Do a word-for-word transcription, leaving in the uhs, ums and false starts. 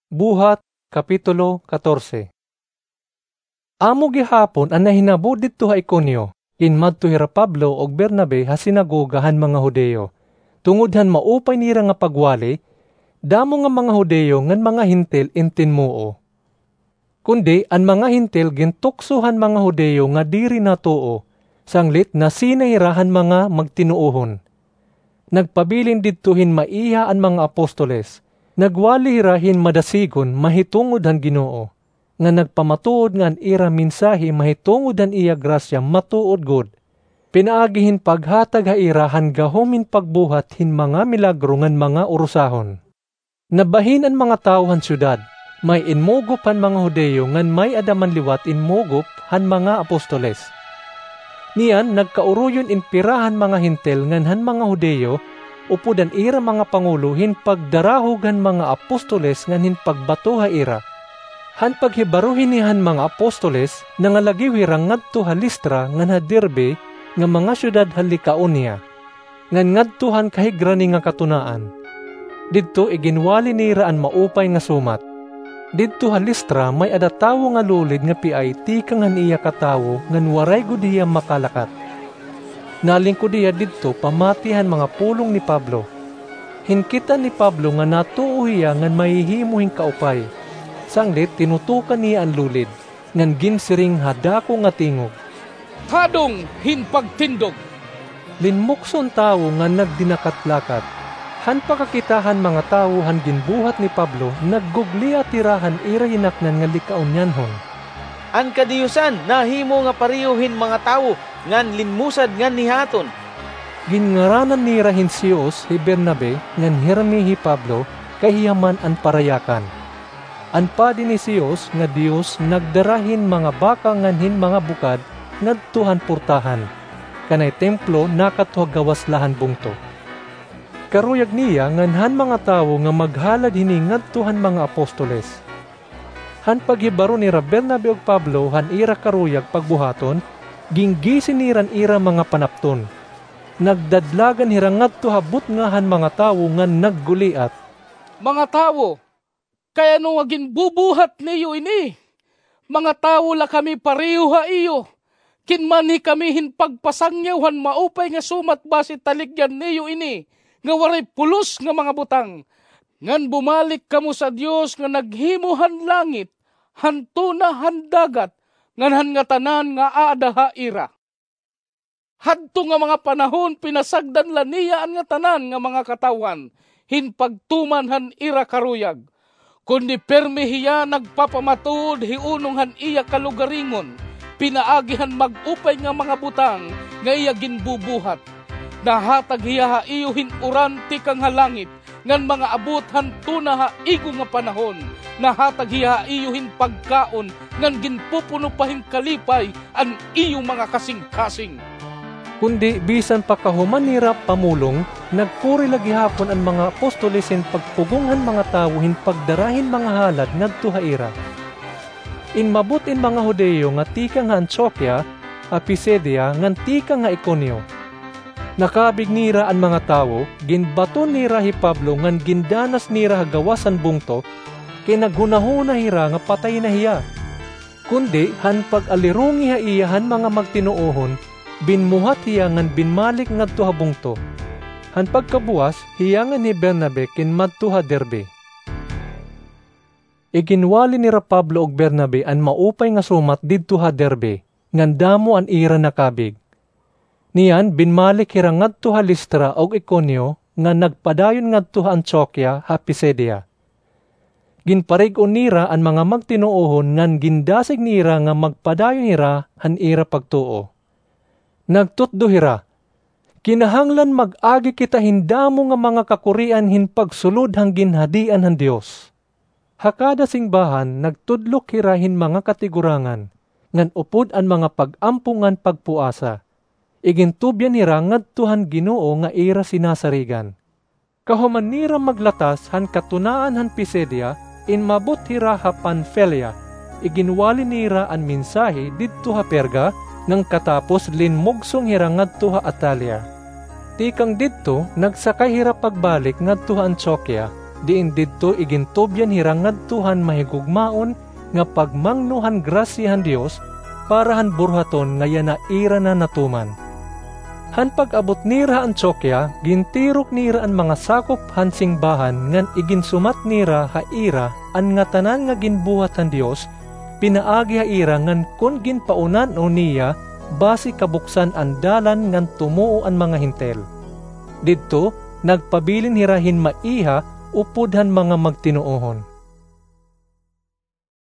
Buhat, Kapitulo katorse. Amo gihapon an nahinabo didto ha Iconio, ginmadto hira Pablo ug Bernabe ha sinagoga han mga Judio, tungod han maupay nira nga pagwali, damo nga mga Judio ngan mga Hentil in tinmuo. Kundi an mga Hentil gintukso han mga Judio nga diri natuo, sanglit nasina hira han mga magtinuohon. Nagpabilin didto hin maiha an mga apostoles. Nagwali hira hin madasigon mahitungod han Ginoo, nga nagpamatuod nga an ira mensahe mahitungod han iya grasya matuod gud, pinaagi hin paghatag ha ira han gahom hin pagbuhat hin mga milagro ngan mga urusahon. Nabahin an mga tawo han syudad, may inmugop han mga Judio ngan may-ada man liwat inmugop han mga apostoles. Niyan nagkauroyon in pira han mga Hentil ngan han mga Judio upod an ira mga pangulo hin pagdarahog han mga apostoles ngan hin pagbato ha ira. Han paghibaro hini han mga apostoles, nangalagiw hira ngadto ha Listra ngan ha Derbe nga mga syudad ha Licaonia, ngan ngadto han kahigrani nga katunaan. Didto iginwali nira an maupay nga sumat. Didto ha Listra may-ada tawo nga lulid nga piay tikang han iya katawo ngan waray gud hiya makalakat. Nalingkod hiya didto pamati han mga pulong ni Pablo. Hinkit-an ni Pablo nga natuo hiya ngan mahihimo hin kaupay. Sanglit tinutukan niya an lulid, ngan ginsiring ha dako nga tingog, "Tadong hin pagtindog!" Linmukso an tawo ngan nagdinakat-lakat. Han pakakita han mga tawo han ginbuhat ni Pablo, naggugliat hira han ira hinaknan nga Licaonianhon. "An kadiyusan nahimo nga pareho hin mga tawo ngan linmusad nganhi ha aton." Ginngaranan nira hin Zeus hi Bernabe ngan Herme hi Pablo, kay hiya man an parayakan. An padi ni Zeus nga diyos nagdara hin mga baka ngan hin mga bukad ngadto han portahan, kanay templo nakadto ha gawas la han bungto. Karuyag niya ngan han mga tawo nga maghalad hini ngadto han mga apostoles. Han paghibaro nira Bernabe ug Pablo han ira karuyag pagbuhaton, ginggisi nira an ira mga panapton. Nagdadlagan hira ngadto ha butnga han mga tawo ngan nagguliat, "Mga tawo, kay ano nga ginbubuhat niyo ini? Mga tawo la kami pareho ha iyo. Kinmanhi kami hin pagpasangyaw han maupay nga sumat basi taligyan niyo ini nga waray pulos nga mga butang. Ngan bumalik kamo sa Dios nga naghimo han langit, han tuna, han dagat, ngan han ngatanan nga aada ha ira." Hadto nga mga panahon, pinasagdan la niya an ngatanan nga mga katawhan hin pagtuman han ira karuyag. Kundi pirme hiya nagpapamatuod hiunong han iya kalugaringon, pinaagi han mag-upay nga mga butang nga iya ginbubuhat. Nahatag hiya ha iyo hin uran tikang ha langit, ngan mga abot han tuna ha igo nga panahon. Nahatag hiya ha iyo hin pagkaon, ngan ginpupuno pa hin kalipay an iyo mga kasingkasing. Kundi bisan pa kahuman nira pamulong, nagkuri la gihapon an mga apostoles hin pagpugong han mga tawo hin pagdara hin mga halad ngadto ha ira. Inmabot in mga Judio nga tikang ha Antioquia, ha Pisidia, ngan tikang ha Iconio. Nakabig nira an mga tawo, ginbaton nira hi Pablo ngan gindanas nira ha gawas han bungto, kay naghunahuna hira nga patay na hiya. Kundi han pag-alirongi ha iya han mga magtinuohon, binmuhat hiya ngan binmalik ngadto ha bungto. Han pagkabuwas, hiya ngan hi Bernabe kinmadto ha Derbe. Iginwali nira Pablo ug Bernabe an maupay nga sumat didto ha Derbe, ngan damo an ira nakabig. Niyan, binmalik hira ngadto ha Listra ug Iconio, ngan nagpadayon ngadto ha Antioquia ha Pisidia. Ginparig-on nira an mga magtinuohon ngan gindasig nira nga magpadayon hira han ira pagtuo. Nagtutdo hira, "Kinahanglan mag-agi kita hin damo nga mga kakurian hin pagsulod han ginhadian han Dios." Ha kada singbahan nagtudlok hira hin mga katigurangan, ngan upod an mga pag-ampo ngan pagpuasa, igintubyan hira ngadto han Ginoo nga ira sinasarigan. Kahuman nira maglatas han katunaan han Pisidia, inmabot hira ha Panfilia. Iginwali nira an mensahe didto ha Perga, ngan katapos linmugsong hira ngadto ha Atalia. Tikang didto, nagsakay hira pagbalik ngadto ha Antioquia. diin didto igintubyan hira ngadto han mahigugmaon nga pagmangno han grasya han Dios para han burhaton nga yana ira na natuman. Han pag-abot nira ha Antioquia, gintirok nira an mga sakop han singbahan ngan iginsumat nira ha ira an ngatanan nga ginbuhat han Dios pinaagi ha ira ngan kon ginpaunan-on niya basi kabuksan an dalan ngan tumuo an mga Hentil. Didto, nagpabilin hira hin maiha upod han mga magtinuohon.